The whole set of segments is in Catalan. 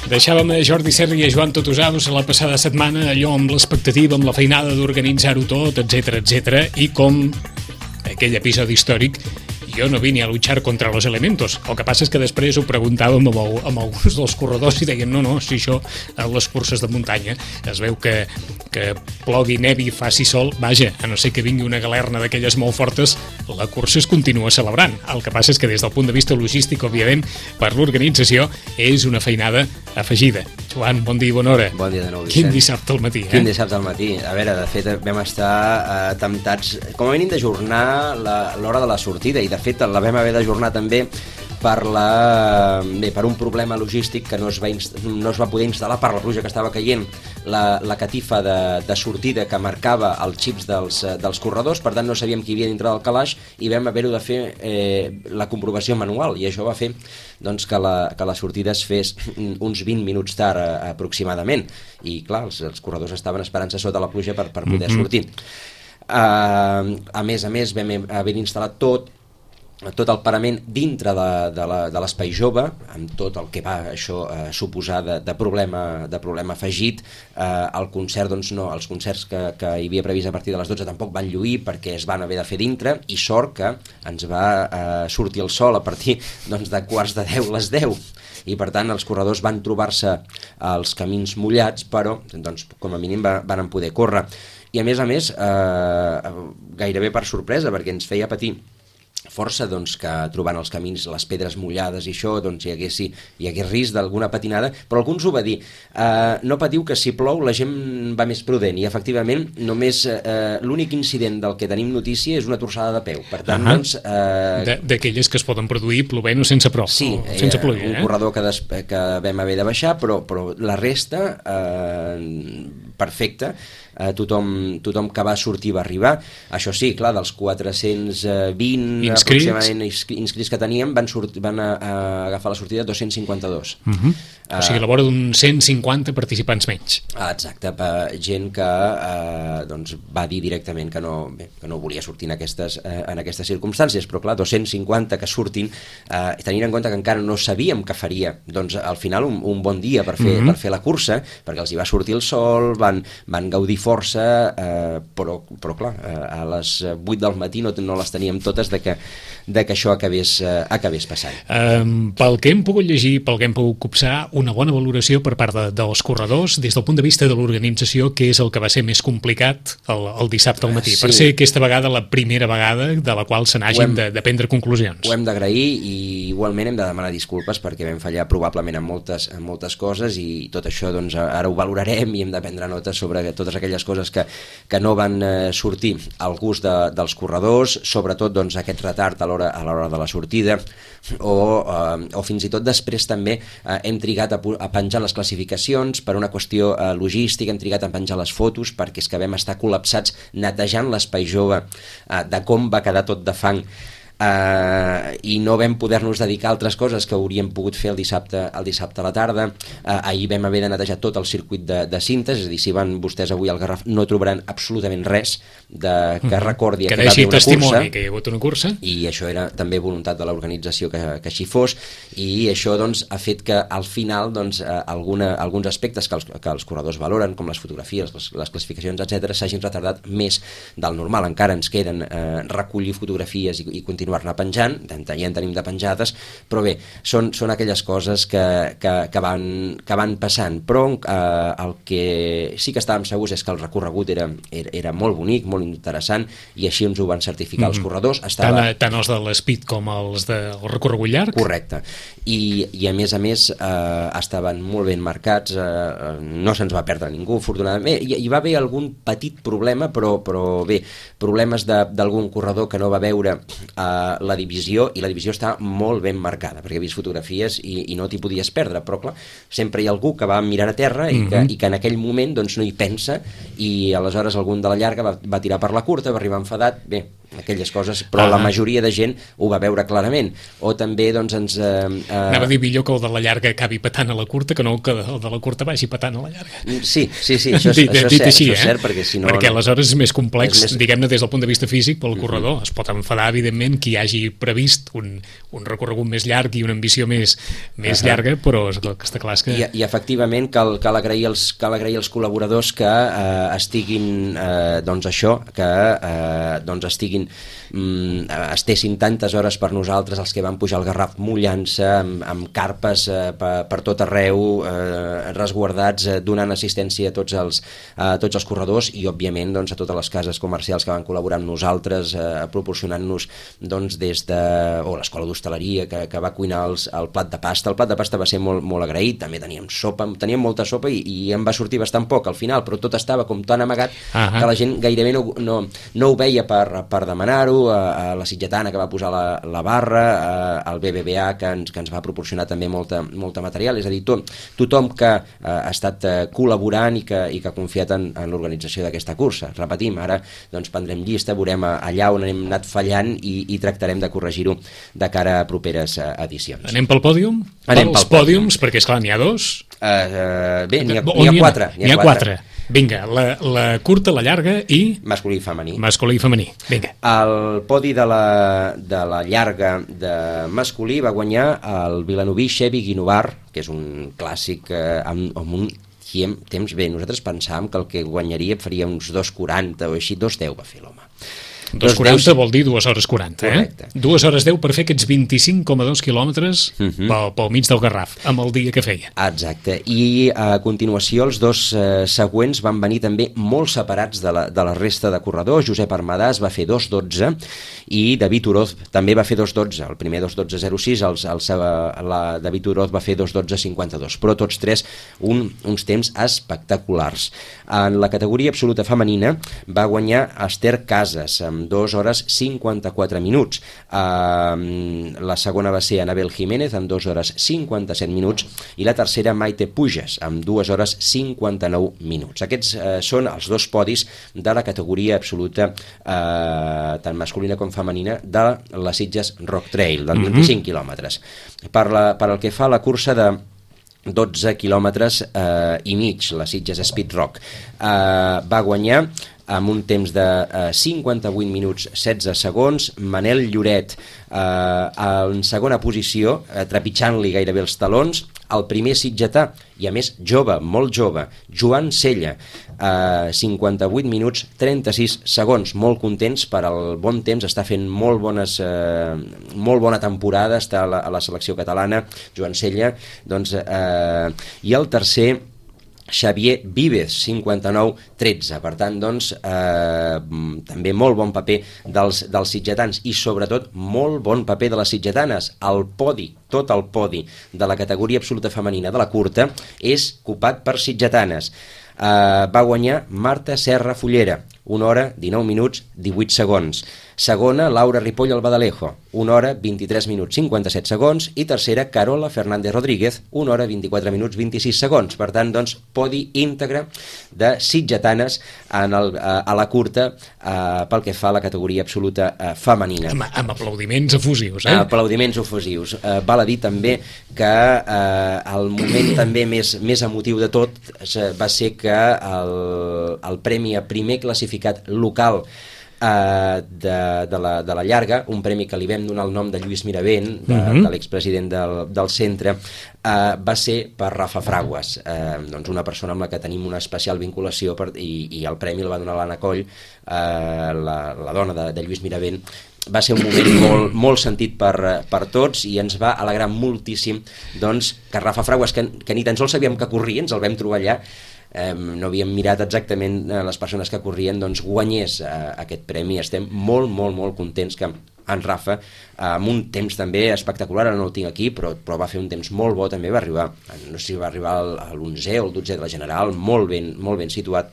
Deixàvem a Jordi Serra i a Joan Totosaus la passada setmana, allò amb l'expectativa, amb la feinada d'organitzar-ho tot, etc, i com aquell episodi històric jo no vine a luchar contra los elementos. El que passa és que després ho preguntàvem amb alguns dels corredors i deien no, si això a les curses de muntanya es veu que plogui, nevi, faci sol, vaja, a no ser que vingui una galerna d'aquelles molt fortes, la cursa es continua celebrant. El que passa és que des del punt de vista logístic, òbviament, per l'organització és una feinada afegida. Joan, bon dia i bona hora. Bon dia de nou, Vicent. Quin dissabte al matí, Quin dissabte al matí. A veure, de fet, vam estar temptats, com a mínim, d'ajornar l'hora de la sortida, i de fet la vam haver d'ajornar també per un problema logístic que no es va poder instal·lar per la pluja que estava caient, la catifa de sortida que marcava els xips dels corredors. Per tant no sabíem qui havia dintre del calaix i vam haver-ho de fer la comprovació manual, i això va fer doncs, que la sortida es fes uns 20 minuts tard aproximadament, i clar, els corredors estaven esperant-se sota la pluja per poder sortir. A més, vam haver instal·lat tot el parament dintre de l'espai jove, amb tot el que va això suposar de problema afegit. El concert, doncs no, els concerts que hi havia previst a partir de les 12 tampoc van lluir perquè es van haver de fer dintre, i sort que ens va sortir el sol a partir doncs, de quarts de 10 les 10, i per tant els corredors van trobar-se els camins mullats, però doncs, com a mínim van poder córrer. I a més, gairebé per sorpresa, perquè ens feia patir força doncs, que trobant els camins les pedres mullades i això doncs, hi hagués risc d'alguna patinada, però algú ens ho va dir, no patiu que si plou la gent va més prudent, i efectivament només l'únic incident del que tenim notícia és una torçada de peu, per tant doncs, d'aquelles que es poden produir plovent o sense prou, sí, sense pluja, un corredor que vam haver de baixar, però la resta perfecta. Tothom que va sortir va arribar. Això sí, clar, dels 420 aproximadament inscrits que teníem van agafar la sortida 252. O sigui, a la vora d'uns 150 participants menys. Exacte, gent que doncs, va dir directament que no volia sortir en aquestes circumstàncies, però clar, 250 que surtin, tenint en compte que encara no sabíem què faria, doncs al final un bon dia per fer la cursa, perquè els hi va sortir el sol, van gaudir força, però clar, a les 8 del matí no les teníem totes de que això acabés passant. Pel que hem pogut llegir, pel que hem pogut copsar, una bona valoració per part dels corredors des del punt de vista de l'organització, que és el que va ser més complicat el dissabte al matí, per ser aquesta vegada la primera vegada de la qual se n'hagin de prendre conclusions. Ho hem d'agrair, i igualment hem de demanar disculpes perquè vam fallar probablement en moltes coses, i tot això doncs, ara ho valorarem i hem de prendre notes sobre totes aquelles coses que no van sortir al gust dels corredors, sobretot doncs, aquest retard a l'hora de la sortida, o fins i tot després també hem trigat a penjar les classificacions per una qüestió logística, hem trigat a penjar les fotos perquè és que vam estar col·lapsats netejant l'espai jove de com va quedar tot de fang, i no vam poder-nos dedicar a altres coses que hauríem pogut fer el dissabte a la tarda. Ahir vam haver de netejar tot el circuit de cintes, és a dir, si van vostès avui al Garraf no trobaran absolutament res que recordi que va haver una cursa, que hi ha hagut una cursa, i això era també voluntat de l'organització que així fos, i això doncs, ha fet que al final doncs, alguns aspectes que els corredors valoren, com les fotografies, les classificacions, etc., s'hagin retardat més del normal. Encara ens queden recollir fotografies i continuar-ne penjant, ja en tenim de penjades, però bé, són aquelles coses que van passant, però el que sí que estàvem segurs és que el recorregut era molt bonic, molt interessant, i així ens ho van certificar els corredors. Tant els de l'Speed com els del recorregut llarg? Correcte, i a més estaven molt ben marcats, no se'ns va perdre ningú, afortunadament. Hi va haver algun petit problema, però bé, problemes d'algun corredor que no va veure la divisió, i la divisió està molt ben marcada, perquè he vist fotografies i no t'hi podies perdre, però clar, sempre hi ha algú que va mirant a terra i que en aquell moment doncs, no hi pensa, i aleshores algun de la llarga va tirar per la curta, va arribar enfadat. Bé, aquelles coses, però la majoria de gent ho va veure clarament. O també doncs ens... Anava a dir millor que el de la llarga acabi patant a la curta que no que el de la curta vagi patant a la llarga. Sí, això és cert, perquè si no... Perquè aleshores és més complex, diguem-ne, des del punt de vista físic pel corredor. Es pot enfadar, evidentment, qui hagi previst un recorregut més llarg i una ambició més llarga, però està clar que... I efectivament cal agrair els col·laboradors que estiguin doncs això, que doncs estessin tantes hores per nosaltres, els que van pujar al Garraf mullant-se amb carpes per tot arreu, resguardats, donant assistència a tots els corredors i òbviament doncs, a totes les cases comercials que van col·laborar amb nosaltres, proporcionant-nos doncs, des de l'escola d'hostaleria que va cuinar el plat de pasta. El plat de pasta va ser molt, molt agraït, també teníem molta sopa i em va sortir bastant poc al final, però tot estava com tan amagat que la gent gairebé no ho veia per demanar-ho. A la Sitgetana que va posar la barra, al BBVA que ens va proporcionar també molta material, és a dir, tothom que ha estat col·laborant i que ha confiat en l'organització d'aquesta cursa. Repetim, ara doncs prendrem llista, veurem allà on hem anat fallant i tractarem de corregir-ho de cara a properes edicions. Anem pel pòdium? Anem pels pòdiums, perquè esclar, n'hi ha dos. Bé, n'hi ha quatre. N'hi ha quatre. Vinga, la curta, la llarga i... Masculí i femení. Masculí i femení, vinga. El podi de la llarga de masculí va guanyar el vilanoví Xevi Guinovar, que és un clàssic amb un temps bé. Nosaltres pensàvem que el que guanyaria faria uns 2:40 o així, 2:10 va fer l'home. 2:40 vol dir 2 hores 40, correcte. 2 hores 10 per fer aquests 25,2 quilòmetres pel mig del Garraf, amb el dia que feia. Exacte, i a continuació els dos següents van venir també molt separats de la resta de corredors. Josep Armadàs va fer 2:12 i David Oroz també va fer 2:12. El primer 2:12.06, David Oroz va fer 2:12.52, però tots tres uns temps espectaculars. En la categoria absoluta femenina va guanyar Esther Casas amb 2 hores 54 minuts. La segona va ser Anabel Jiménez amb 2 hores 57 minuts i la tercera Maite Pujas amb 2 hores 59 minuts. Aquests són els dos podis de la categoria absoluta tant masculina com femenina de la Sitges Rock Trail, dels 25 quilòmetres. Per el que fa a la cursa de 12 quilòmetres i mig, la Sitges Speed Rock, va guanyar amb un temps de 58 minuts 16 segons, Manel Lloret en segona posició, trepitjant-li gairebé els talons, el primer sitgetà, i a més jove, molt jove, Joan Sella, 58 minuts 36 segons, molt contents per al bon temps, està fent molt bona temporada, està a la selecció catalana, Joan Sella, doncs, i el tercer Xavier Vives, 59-13. Per tant, doncs, també molt bon paper dels sitgetans i, sobretot, molt bon paper de les sitgetanes. El podi, tot el podi de la categoria absoluta femenina de la curta és copat per sitgetanes. Va guanyar Marta Serra Fullera, 1 hora, 19 minuts, 18 segons. Segona, Laura Ripoll Albadalejo, 1 hora, 23 minuts, 57 segons. I tercera, Carola Fernández Rodríguez, 1 hora, 24 minuts, 26 segons. Per tant, doncs, podi íntegre de sitgetanes a la curta pel que fa a la categoria absoluta femenina. Amb aplaudiments efusius, Aplaudiments efusius. Val a dir també que el moment també més emotiu de tot va ser que el premi a primer classificat local de la llarga, un premi que li vam donar el nom de Lluís Miravent, de l'expresident del centre, va ser per Rafa Fraguas, doncs una persona amb la que tenim una especial vinculació i el premi el va donar l'Anna Coll, la dona de Lluís Miravent. Va ser un moment molt sentit per tots i ens va alegrar moltíssim doncs, que Rafa Fraguas, que ni tan sols sabíem que corria, ens el vam trobar allà, no havíem mirat exactament les persones que corrien, doncs guanyés aquest premi. Estem molt, molt, molt contents que en Rafa, amb un temps també espectacular, ara no el tinc aquí, però va fer un temps molt bo, també va arribar, no sé si va arribar a l'11è o el 12è de la general, molt ben situat.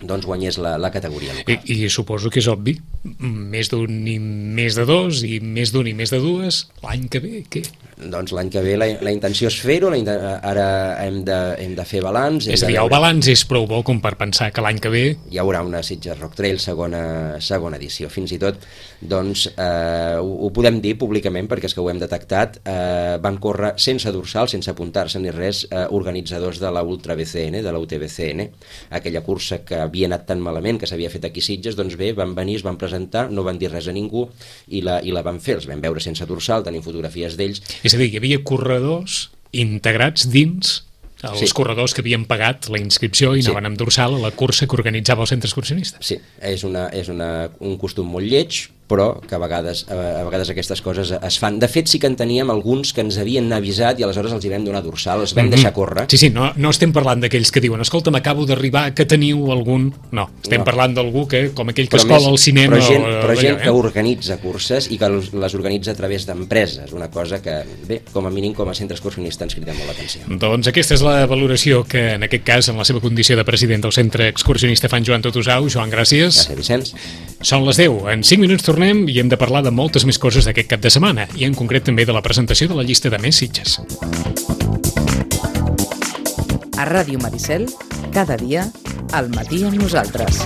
doncs guanyés la categoria local. I suposo que és obvi, més d'un i més de dos, i més d'un i més de dues, l'any que ve, què? Doncs l'any que ve la intenció és fer-ho, ara hem de fer balanç. És a dir, el balanç és prou bo com per pensar que l'any que ve hi haurà una Sitges Rock Trail segona edició. Fins i tot, doncs, ho podem dir públicament perquè és que ho hem detectat, van córrer sense dorsal, sense apuntar-se ni res, organitzadors de la Ultra BCN, de la UTBCN, aquella cursa que havia anat tan malament, que s'havia fet aquí a Sitges, doncs bé, van venir, es van presentar, no van dir res a ningú i la van fer, els vam veure sense dorsal, tenim fotografies d'ells. És a dir, hi havia corredors integrats dins els corredors que havien pagat la inscripció i anaven amb dorsal a la cursa que organitzava el centre excursionista. Sí, és un costum molt lleig, però que a vegades aquestes coses es fan. De fet, sí que en teníem alguns que ens havien avisat i aleshores els hi vam donar dorsal, els vam deixar córrer. Sí, no estem parlant d'aquells que diuen escolta, m'acabo d'arribar, que teniu algun... No, estem parlant d'algú que, com aquell que es cola al cinema... Però gent que organitza curses i que les organitza a través d'empreses, una cosa que, bé, com a mínim com a centre excursionista ens crida molt l'atenció. Doncs aquesta és la valoració que, en aquest cas, en la seva condició de president del centre excursionista fan Joan Totusau. Joan, gràcies. Gràcies, Vicenç. Són les 10. En 5 minuts tornem i hem de parlar de moltes més coses d'aquest cap de setmana i en concret també de la presentació de la llista de Més Sitges. A Ràdio Maricel, cada dia, al matí amb nosaltres.